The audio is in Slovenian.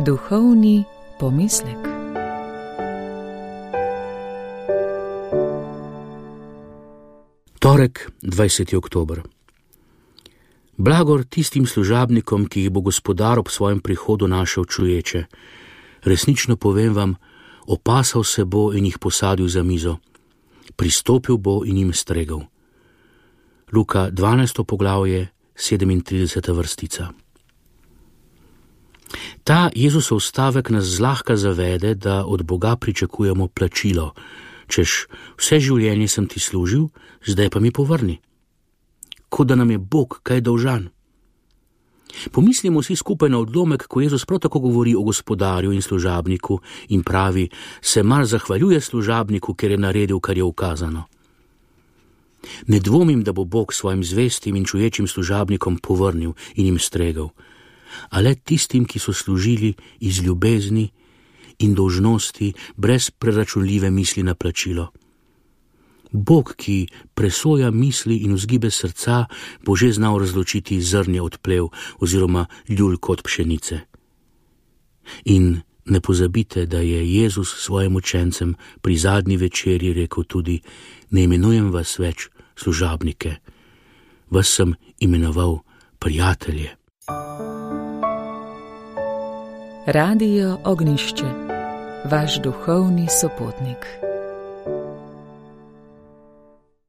Duhovni pomislek. Torek, 20. oktober. Blagor tistim služabnikom, ki jih bo gospodar ob svojem prihodu našel čuječe. Resnično povem vam, opasal se bo in jih posadil za mizo. Pristopil bo in jim stregel. Luka 12. poglavje, 37. vrstica. Ta Jezusov stavek nas zlahka zavede, da od Boga pričakujemo plačilo, češ vse življenje sem ti služil, zdaj pa mi povrni. Kot da nam je Bog kaj dolžan. Pomislimo vsi skupaj na odlomek, ko Jezus prav tako govori o gospodarju in služabniku in pravi, se mar zahvaljuje služabniku, ker je naredil, kar je ukazano. Ne dvomim, da bo Bog svojim zvestim in čuječim služabnikom povrnil in jim stregel, a le tistim, ki so služili iz ljubezni in dolžnosti, brez preračunljive misli na plačilo. Bog, ki presoja misli in vzgibe srca, bo že znal razločiti zrnje od plev oziroma ljulko od pšenice. In ne pozabite, da je Jezus svojim učencem pri zadnji večerji rekel tudi: ne imenujem vas več služabnike, vas sem imenoval prijatelje. Radio Ognjišče, vaš duhovni sopotnik.